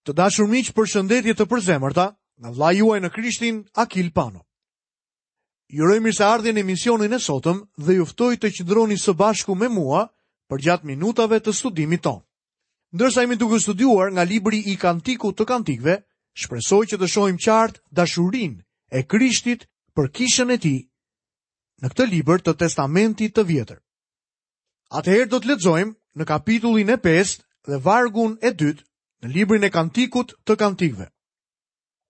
Të dashur miq, përshëndetje të përzemërta nga vëllai juaj në Krishtin, Akil Pano. Ju uroj mirëseardhjen në emisionin e sotëm dhe ju ftoj të qëndroni së bashku me mua përgjatë minutave të studimit tonë. Ndërsa jemi duke studiuar nga libri i Kantikut të Kantikëve, shpresoj që të shohim qartë dashurinë e Krishtit për kishën e tij në këtë libër të Testamentit të Vjetër. Atëherë do të lexojmë në kapitullin e 5 dhe vargun e 2 në librin e Kantikut të Kantikëve.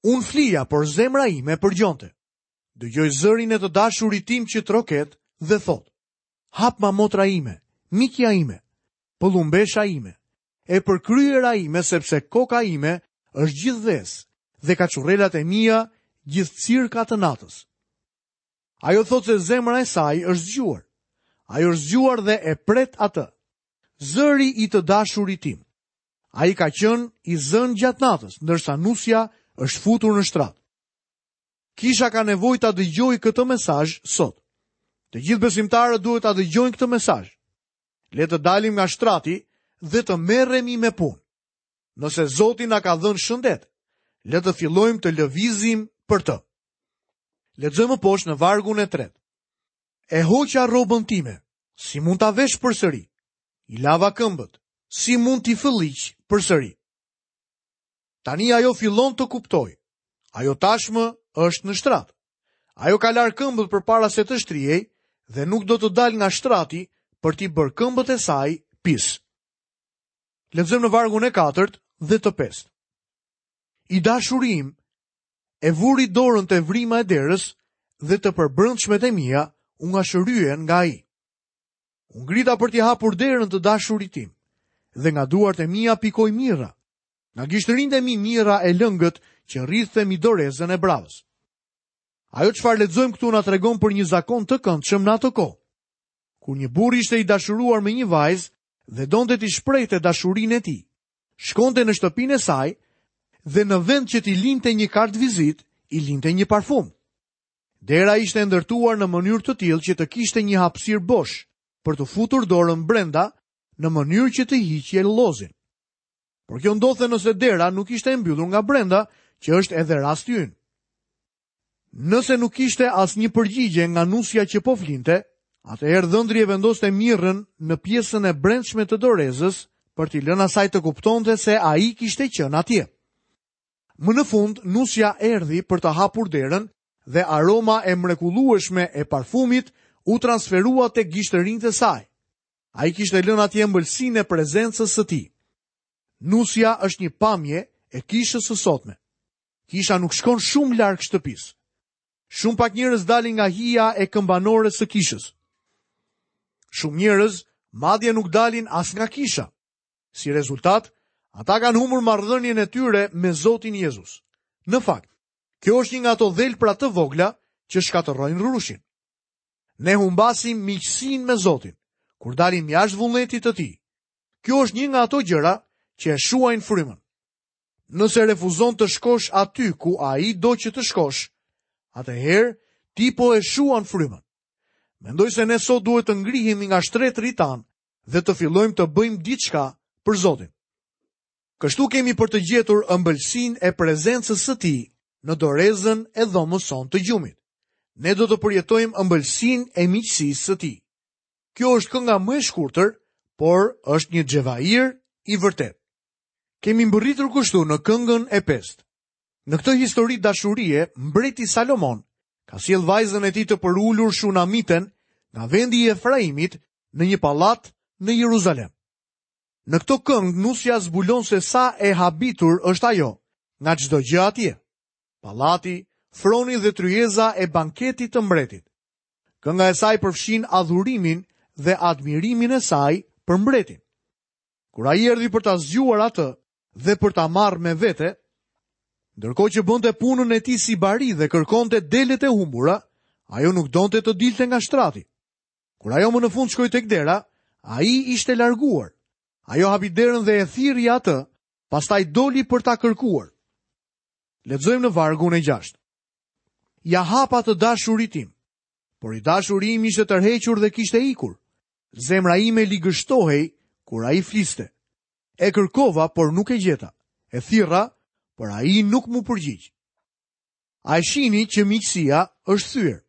Unë flija, por zemra ime përgjonte. Dëgjoj zërin e të dashurit tim që troket dhe thotë: Hapma motra ime, mikja ime, pëllumbesha ime, e përkryera ime sepse koka ime është gjithë vezë dhe kaçurrelat e mia gjithë cirka të natës. Ajo thotë se zemra e saj është zgjuar. Ajo është zgjuar dhe e pret atë. Zëri i të dashurit tim. Ai ka qenë i zënë gjatë natës, ndërsa nusja është futur në shtrat. Kisha ka nevojë ta dëgjojë këtë mesazh sot. Të gjithë besimtarët duhet ta dëgjojnë këtë mesazh. Le të dalim nga shtrati dhe të merremi me punë. Nëse Zoti na ka dhënë shëndet, le të fillojmë të lëvizim për të. Lexojmë më poshtë në vargun e tretë. E hoqa rrobën time, si mund ta vesh përsëri? I lava këmbët, si mund t'i fëlliq përsëri? Tani ajo fillon të kuptojë. Ajo tashmë është në shtrat. Ajo ka larë këmbët përpara se të shtrihej dhe nuk do të dalë nga shtrati për t'i bërë këmbët e saj pis. Lexojmë në vargun e katërt dhe të pestë. I dashuri im e vuri dorën te vrima e derës dhe të përbrendshmet e mia u ngashëryen nga ai. U ngrita për t'i hapur derën të dashurit tim dhe nga duart e mia pikoi mirra. Nga gishtërinjtë e mi mirra e lëngët që rridhte mbi dorezën e bravës. Ajo çfarë lexojmë këtu na tregon për një zakon të këndshëm në atë kohë. Kur një burrë ishte i dashuruar me një vajzë dhe donte t'i shprehte dashurinë e tij, shkonte në shtëpinë e saj dhe në vend që t'i linte një kartëvizitë, i linte një parfum. Dera ishte e ndërtuar në mënyrë të tillë që të kishte një hapësirë bosh për të futur dorën brenda në mënyrë që të hiqje llozin. Por kjo ndodhte nëse dera nuk ishte e mbyllur nga brenda, që është edhe rasti ynë. Nëse nuk kishte asnjë përgjigje nga nusja që po flinte, atëherë dhëndri e vendoste mirrën në pjesën e brendshme të dorezës për t'i lënë asaj të kuptonte se ai kishte qenë atje. Më në fund, nusja erdhi për të hapur derën dhe aroma e mrekullueshme e parfumit u transferua tek gishtërinjtë e saj. Ai kishte lënë atje ëmbëlsinë e prezencës së tij. Nusja është një pamje e kishës së sotme. Kisha nuk shkon shumë larg shtëpisë. Shumë pak njerëz dalin nga hija e këmbanores së kishës. Shumë njerëz madje nuk dalin as nga kisha. Si rezultat, ata kanë humbur marrëdhënien e tyre me Zotin Jezus. Në fakt, kjo është një nga ato dhelpra të vogla që shkatërrojnë rrushin. Ne humbasim miqësinë me Zotin kur dalim jashtë vullnetit të tij. Kjo është një nga ato gjëra që e shuajnë frymën. Nëse refuzon të shkosh aty ku ai do që të shkosh, atëherë ti po e shuan frymën. Mendoj se ne sot duhet të ngrihemi nga shtretërit tanë dhe të fillojmë të bëjmë diçka për Zotin. Kështu kemi për të gjetur ëmbëlsinë e prezencës së tij në dorezën e dhomës sonë të gjumit. Ne do të përjetojmë ëmbëlsinë e miqësisë së tij. Kjo është kënga më e shkurtër, por është një xhevair i vërtetë. Kemi mbërritur kështu në këngën e pestë. Në këtë histori dashurie, mbreti Salomon ka sjellë vajzën e tij të përulur Shunamiten nga vendi i Efraimit në një pallat në Jeruzalem. Në këtë këngë nusja zbulon se sa e habitur është ajo nga çdo gjë atje. Pallati, froni dhe tryeza e banketit të mbretit. Kënga e saj përfshin adhurimin dhe admirimin e saj për mbretin. Kur ai erdhi për ta zgjuar atë dhe për ta marrë me vete, ndërkohë që bënte punën e tij si bari dhe kërkonte delet e humbura, ajo nuk donte të dilte nga shtrati. Kur ajo më në fund shkoi tek dera, ai ishte larguar. Ajo hapi derën dhe e thirri atë, pastaj doli për ta kërkuar. Lexojmë në vargun e 6. Ia hapa të dashurit tim, por i dashuri im ishte tërhequr dhe kishte ikur. Zemra ime ligështohej kur ai fliste. E kërkova, por nuk e gjeta. E thirra, por ai nuk m'u përgjigj. A e shihni që miqësia është thyer?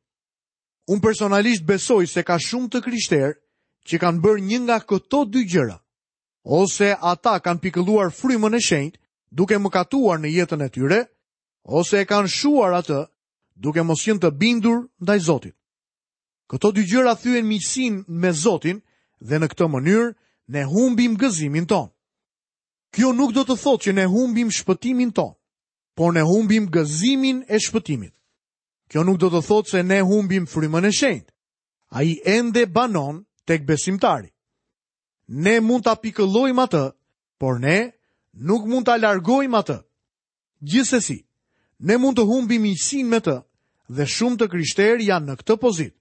Unë personalisht besoj se ka shumë të krishterë që kanë bërë një nga këto dy gjëra. Ose ata kanë pikëlluar frymën e shenjtë duke mëkatuar në jetën e tyre, ose e kanë shuar atë duke mos qenë të bindur ndaj Zotit. Këto dy gjëra thyejnë miqësinë me Zotin dhe në këtë mënyrë ne humbim gëzimin tonë. Kjo nuk do të thotë që ne humbim shpëtimin tonë, por ne humbim gëzimin e shpëtimit. Kjo nuk do të thotë se ne humbim frymën e shenjtë. Ai ende banon tek besimtari. Ne mund ta pikëllojmë atë, por ne nuk mund ta largojmë atë. Gjithsesi, ne mund të humbim miqësinë me të dhe shumë të krishterë janë në këtë pozitë.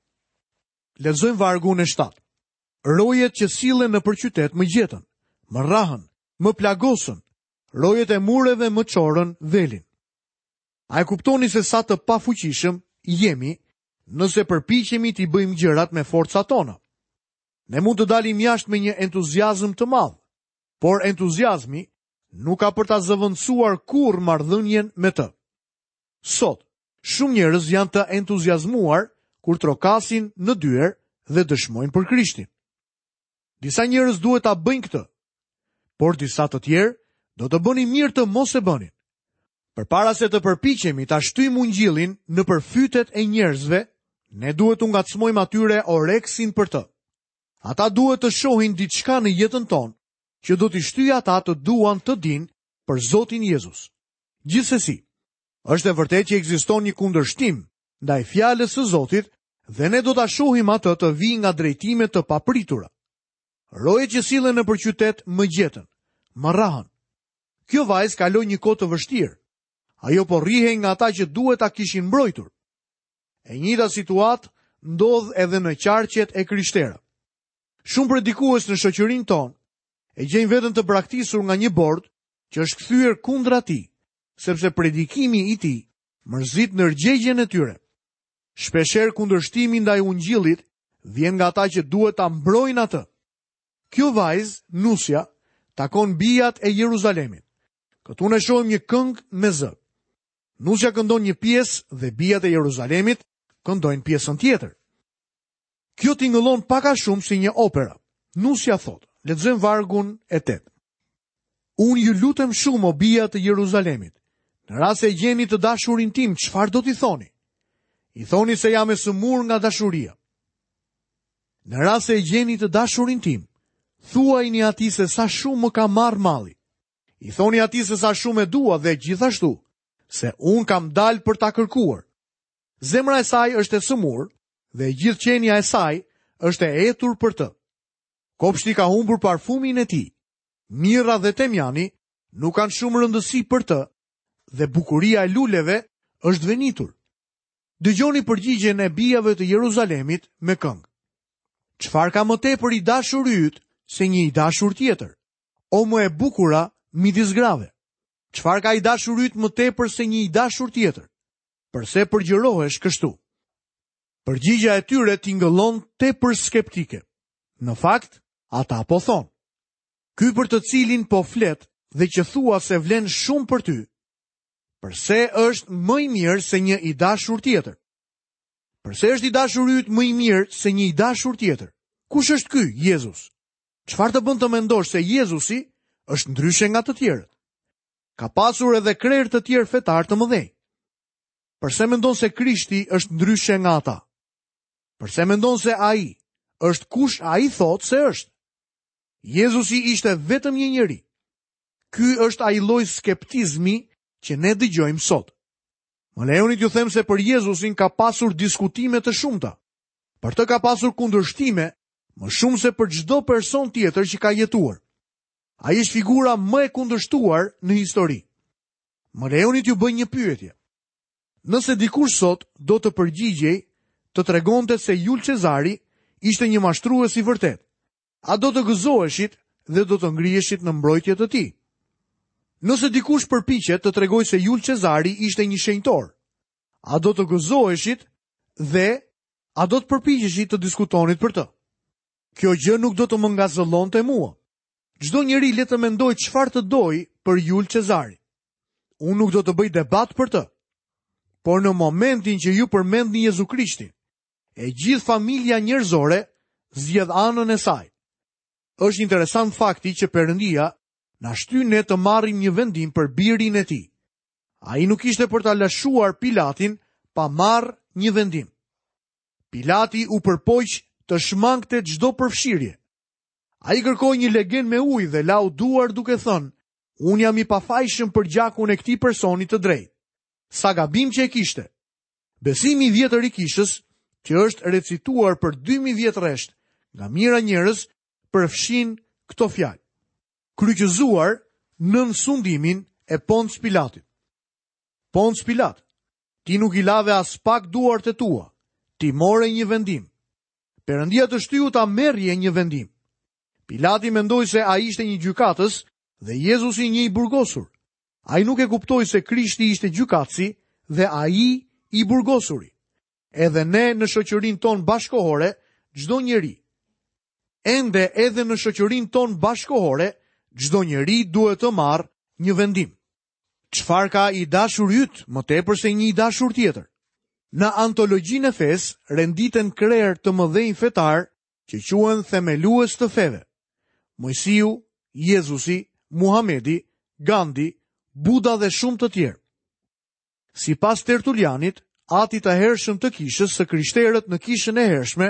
Lexojmë vargun e 7. Rojet që sillen nëpër qytet më gjetën, më rrahën, më plagosën, rojet e mureve më çorën velin. A e kuptoni se sa të pafuqishëm jemi nëse përpiqemi t'i bëjmë gjërat me forcat tona? Ne mund të dalim jashtë me një entuziazëm të madh, por entuziazmi nuk ka për ta zëvendësuar kurrë marrëdhënien me të. Sot, shumë njerëz janë të entuziazmuar kur trokasin në dyer dhe dëshmojnë për Krishtin. Disa njerëz duhet ta bëjnë këtë, por disa të tjerë do të bënin mirë të mos e bënin. Përpara se të përpiqemi ta shtyjmë ungjillin nëpër fytet e njerëzve, ne duhet t'u ngacmojmë atyre oreksin për të. Ata duhet të shohin diçka në jetën tonë që do t'i shtyjë ata të duan të dinë për Zotin Jezus. Gjithsesi, është e vërtetë që ekziston një kundërshtim ndaj fjalës së Zotit dhe ne do ta shohim atë të vijë nga drejtime të papritura. Rojet që sillen nëpër qytet më gjetën, më rrahën. Kjo vajzë kaloi një kohë të vështirë. Ajo po rrihej nga ata që duhet ta kishin mbrojtur. E njëjta situatë ndodh edhe në qarqet e krishtera. Shumë predikues në shoqërinë tonë e gjejnë veten të braktisur nga një bord që është kthyer kundra tij, sepse predikimi i tij mërzit ndërgjegjen e tyre. Shpeshherë kundërshtimi ndaj ungjillit vjen nga ata që duhet ta mbrojnë atë. Kjo vajzë, nusja, takon bijat e Jeruzalemit. Këtu ne shohim një këngë me zë. Nusja këndon një pjesë dhe bijat e Jeruzalemit këndojnë pjesën tjetër. Kjo tingëllon pak a shumë si një opera. Nusja thotë, lexojmë vargun e 8. Unë ju lutem shumë o bija të Jeruzalemit. Në rast se e gjeni të dashurin tim, çfarë do t'i thoni? I thoni se jam e sëmurë nga dashuria. Në rast se e gjeni të dashurin tim, thuajini atij se sa shumë më ka marrë malli. I thoni atij se sa shumë e dua dhe gjithashtu se unë kam dalë për ta kërkuar. Zemra e saj është e sëmurë dhe e gjithë qenia e saj është e etur për të. Kopshti ka humbur parfumin e tij. Mirra dhe temjani nuk kanë shumë rëndësi për të dhe bukuria e luleve është venitur. Dëgjoni përgjigjen e bijave të Jeruzalemit me këngë. Çfarë ka më tepër i dashuri yt se një i dashur tjetër? O më e bukura midis grave. Çfarë ka i dashuri yt më tepër se një i dashur tjetër? Përse përgjërohesh kështu? Përgjigja e tyre tingëllon tepër skeptike. Në fakt, ata po thonë: Ky për të cilin po flet dhe që thua se vlen shumë për ty, përse është më i mirë se një i dashur tjetër? Përse është i dashuri yt më i mirë se një i dashur tjetër? Kush është ky Jezus? Çfarë të bën të mendosh se Jezusi është ndryshe nga të tjerët? Ka pasur edhe krerë të tjerë fetarë të mëdhenj. Përse mendon se Krishti është ndryshe nga ata? Përse mendon se ai është kush ai thotë se është? Jezusi ishte vetëm një njeri. Ky është ai lloj skeptizmi që ne dëgjojmë sot. Më lejoni t'ju them se për Jezusin ka pasur diskutime të shumta. Për të ka pasur kundërshtime më shumë se për çdo person tjetër që ka jetuar. Ai është figura më e kundërshtuar në histori. Më lejoni t'ju bëj një pyetje. Nëse dikush sot do të përgjigjej të tregonte se Jul Cezari ishte një mashtrues i vërtetë, a do të gëzoheshit dhe do të ngriheshit në mbrojtje të tij? Nëse dikush përpiqet të tregojë se Jul Cezari ishte një shenjtor, a do të gëzoheshit dhe a do të përpiqeshit të diskutonit për të? Kjo gjë nuk do të më ngazëllonte mua. Çdo njeri le të mendojë çfarë të dojë për Jul Cezarin. Unë nuk do të bëj debat për të. Por në momentin që ju përmendni Jezu Krishtin, e gjithë familja njerëzore zgjedh anën e saj. Është interesant fakti që Perëndia na shtyn ne të marrim një vendim për birin e tij. Ai nuk ishte për ta lëshuar Pilatin pa marrë një vendim. Pilati u përpoq të shmangte çdo përfshirje. Ai kërkoi një legen me ujë dhe lau duart duke thënë, unë jam i pafajshëm për gjakun e këtij personi të drejtë. Sa gabim që e kishte. Besimi i vjetër i kishës, që është recituar për 2000 vjet rresht nga mijëra njerëz, përfshin këto fjalë. Kryqëzuar nën sundimin e Ponc Pilatit. Ponc Pilat, ti nuk i lave aspak duart e tua, ti more një vendim. Perëndia të shtyu ta merrje një vendim. Pilati mendoi se ai ishte një gjykatës dhe Jezusi një i burgosur. Ai nuk e kuptoi se Krishti ishte gjykatësi dhe ai i burgosuri. Edhe ne në shoqërinë tonë bashkëkohore, çdo njeri. Ende edhe në shoqërinë tonë bashkëkohore, çdo njeri duhet të marrë një vendim. Çfarë ka i dashuri yt më tepër se një i dashur tjetër? Në antologjinë e fesë renditen krerë të mëdhenj fetarë që quhen themelues të feve. Moisiu, Jezusi, Muhamedi, Gandhi, Buda dhe shumë të tjerë. Sipas Tertulianit, atit të hershëm të kishës së krishterët në kishën e hershme,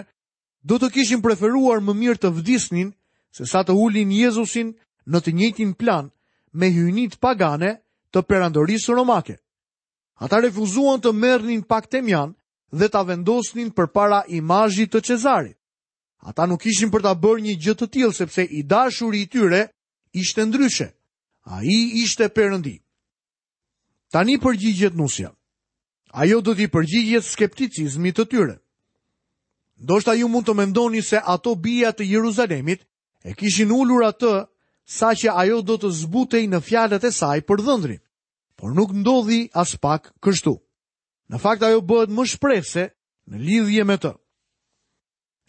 do të kishin preferuar më mirë të vdisnin se sa të ulnin Jezusin në të njëjtin plan me hyjnitë pagane të perandorisë romake. Ata refuzuan të merrnin pak temjan dhe ta vendosnin përpara imazhit të Cezarit. Ata nuk ishin për ta bërë një gjë të tillë sepse i dashuri i tyre ishte ndryshe. Ai ishte Perëndi. Tani përgjigjet nusja. Ajo do t'i përgjigjet skepticizmit të tyre. Ndoshta ju mund të mendoni se ato bija të Jeruzalemit e kishin ulur atë saqë ajo do të zbutej në fjalët e saj për dhëndrin, por nuk ndodhi aspak kështu. Në fakt ajo bëhet më shprehëse në lidhje me të.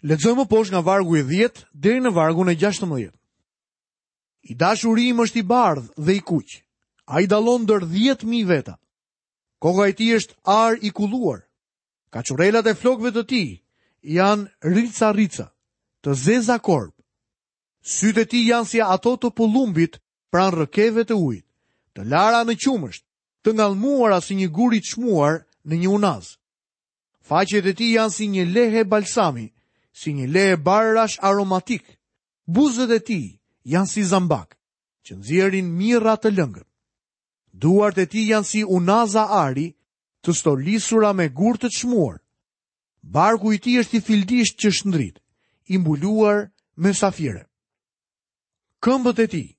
Lexojmë më poshtë nga vargu i 10 deri në vargun e 16. I dashuri im është i bardhë dhe i kuq. Ai dallon ndër 10.000 veta. Koka e tij është ar i kulluar. Kaçurrelat e flokëve të tij janë rica-rica, të zeza korb. Sytë e tij janë si ato të pëllumbit pranë rrëkeve të ujit, të lara në qumësht, të ngallmuara si një gur i çmuar në një unazë. Faqet e tij janë si një lehe balsami, si një lehe barërash aromatikë. Buzët e tij janë si zambakë, që nxjerrin mirra të lëngët. Duart e tij janë si unaza ari, të stolisura me gurë të çmuar. Barku i tij është i fildishtë që shndrit, i mbuluar me safire. Këmbët e tij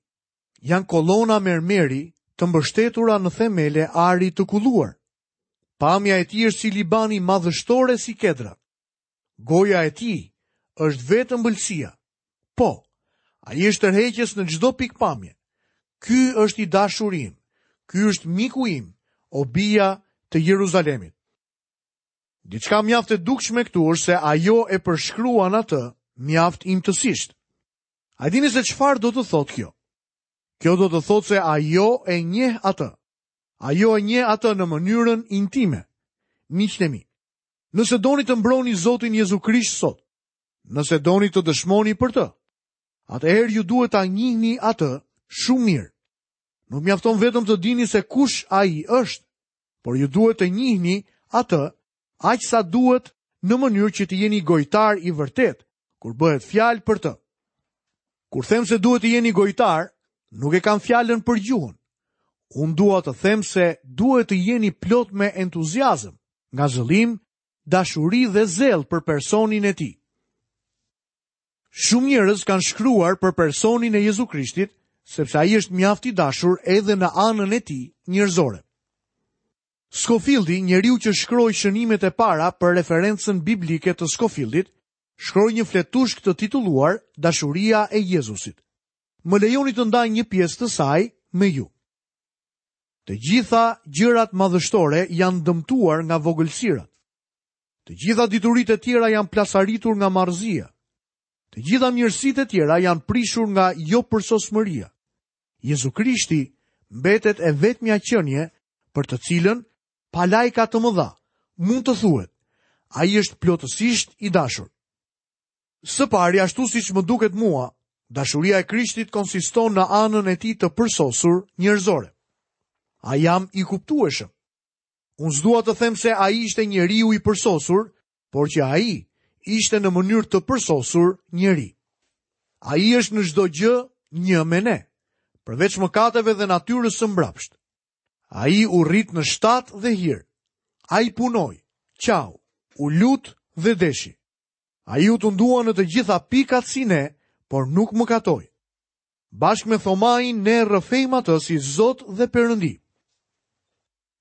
janë kolona mermeri të mbështetura në themele ari të kulluar. Pamja e tij është si Libani madhështore si kedrat. Goja e tij është vetë ëmbëlsia. Po, ai është tërheqës në çdo pikëpamje. Ky është i dashuri im. Ky është miku im, o bija të Jeruzalemit. Diçka mjaft e dukshme këtu është se ajo e përshkruan atë mjaft imtësisht. A dini se çfarë do të thotë kjo? Kjo do të thotë se ajo e njeh atë. Ajo e njeh atë në mënyrën intime. Miqtë e mi, Nëse doni të mbroni Zotin Jezu Krisht sot, nëse doni të dëshmoni për të, atëherë ju duhet ta njihni atë shumë mirë. Nuk mjafton vetëm të dini se kush ai është, por ju duhet të njihni atë aq sa duhet në mënyrë që të jeni gojtar i vërtetë kur bëhet fjalë për të. Kur them se duhet të jeni gojtar, nuk e kam fjalën për gjuhën. Unë dua të them se duhet të jeni plot me entuziazëm, ngazëllim, dashuri dhe zell për personin e tij. Shumë njerëz kanë shkruar për personin e Jezu Krishtit, sepse ai është mjaft i dashur edhe në anën e tij njerëzore. Skofildi, njeriu që shkroi shënimet e para për referencën biblike të Skofildit, shkroi një fletushkë të titulluar Dashuria e Jezusit. Më lejoni të ndaj një pjesë të saj me ju. Të gjitha gjërat madhështore janë dëmtuar nga vogëlsirat. Të gjitha dituritë e tjera janë plasaritur nga marrëzia. Të gjitha mirësitë e tjera janë prishur nga jopërsosmëria. Jezu Krishti mbetet e vetmja qenie për të cilën pa lajka të mëdha mund të thuhet, ai është plotësisht i dashur. Së pari, ashtu siç më duket mua, dashuria e Krishtit konsiston në anën e tij të përsosur njerëzore. A jam i kuptueshëm? Unë s'dua të them se ai ishte njeriu i përsosur, por që ai ishte në mënyrë të përsosur njeri. Ai është në çdo gjë një me ne, përveç mëkateve dhe natyrës së mbrapshtë. Ai u rrit në shtat dhe hir. Ai punoi, qau, u lut dhe deshi. Ai u tundua në të gjitha pikat si ne, por nuk mëkatoi. Bashkë me Thomain ne e rrëfejmë atë si Zot dhe Perëndi.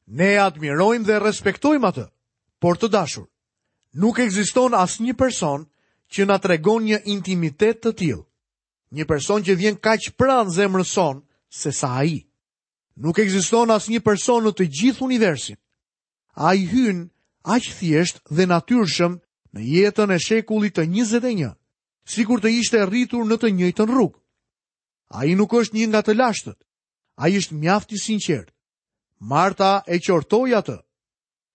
Ne e admirojmë dhe respektojmë atë, por të dashur, nuk ekziston asnjë person që na tregon një intimitet të tillë. Një person që vjen kaq pranë zemrës sonë sesa ai. Nuk ekziston asnjë person në të gjithë universin. Ai hyn aq thjesht dhe natyrshëm në jetën e shekullit të 21, sikur të ishte rritur në të njëjtën rrugë. Ai nuk është një nga të lashtët. Ai është mjaft i sinqertë. Marta e qortoi atë.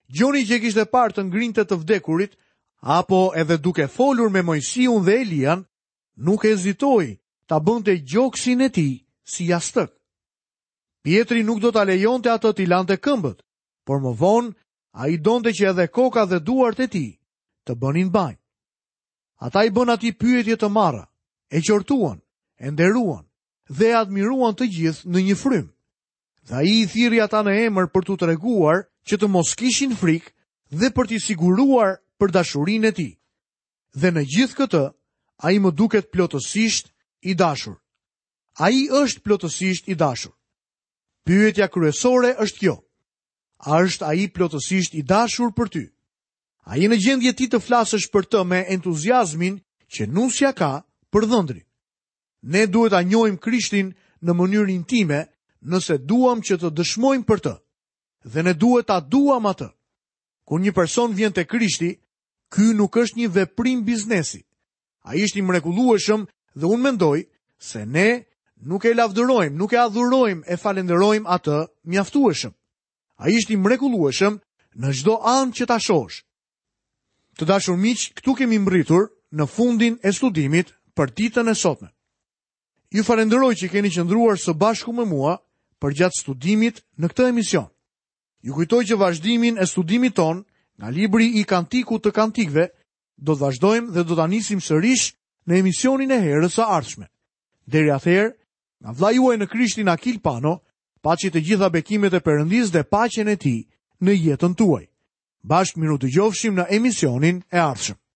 Gjoni që e kishte parë të ngrinte të vdekurit, apo edhe duke folur me Moisiun dhe Elian, nuk hezitoi ta bënte gjoksin e tij si jastëk. Pjetri nuk do ta lejonte atë t'i lante këmbët, por më vonë ai donte që edhe koka dhe duart e tij të bënin banjë. Ata i bënë atij pyetje të marra, e qortuan, e nderuan dhe e admiruan të gjithë në një frymë. Dhe ai i thirri ata në emër për t'u treguar që të mos kishin frikë dhe për t'i siguruar për dashurinë e tij. Dhe në gjithë këtë, ai më duket plotësisht i dashur. Ai është plotësisht i dashur. Pyetja kryesore është kjo. A është ai plotësisht i dashur për ty? A je në gjendje ti të flasësh për të me entuziazmin që nusja ka për dhëndrin? Ne duhet ta njohim Krishtin në mënyrë intime nëse duam që të dëshmojmë për të. Dhe ne duhet ta duam atë. Kur një person vjen te Krishti, ky nuk është një veprim biznesi. Ai është i mrekullueshëm dhe unë mendoj se ne nuk e lavdërojmë, nuk e adhurojmë e falënderojmë atë mjaftueshëm. Ai është i mrekullueshëm në çdo anë që ta shohësh. Të dashur miq, këtu kemi mbërritur në fundin e studimit për ditën e sotme. Ju falënderoj që keni qëndruar së bashku me mua përgjatë studimit në këtë emision. Ju kujtoj që vazhdimin e studimit tonë nga libri i Kantikut të Kantikëve do të vazhdojmë dhe do ta nisim sërish në emisionin e herës së ardhshme. Deri atëherë, nga vëllai juaj në Krishtin Akil Pano, paçi të gjitha bekimet e Perëndisë dhe paqen e tij në jetën tuaj. Bashkë mirudëgjofshim në emisionin e ardhshëm.